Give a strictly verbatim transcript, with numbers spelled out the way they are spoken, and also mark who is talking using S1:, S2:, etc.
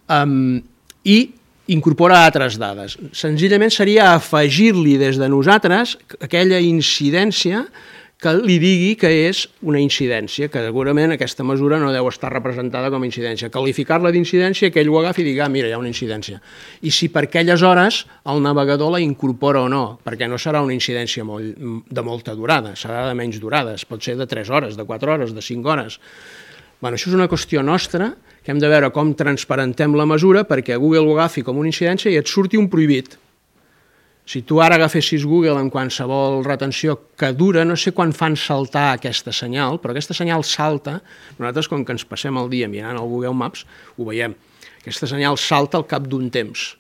S1: Um, I incorpora altres dades. Senzillament seria afegir-li des de nosaltres aquella incidència que li digui que és una incidència, que segurament aquesta mesura no deu estar representada com a incidència. Qualificar-la d'incidència, que ell ho agafi i digui, ah, mira, hi ha una incidència. I si per aquelles hores el navegador la incorpora o no, perquè no serà una incidència molt, de molta durada, serà de menys durada, pot ser de tres hores, de quatre hores, de cinc hores. Bueno, això és una qüestió nostra, que hem de veure com transparentem la mesura perquè Google ho agafi com una incidència i et surti un prohibit. Si tu ara agafessis Google en qualsevol retenció que dura, no sé quan fan saltar aquesta senyal, però aquesta senyal salta, nosaltres com que ens passem el dia mirant el Google Maps, ho veiem, aquesta senyal salta al cap d'un temps.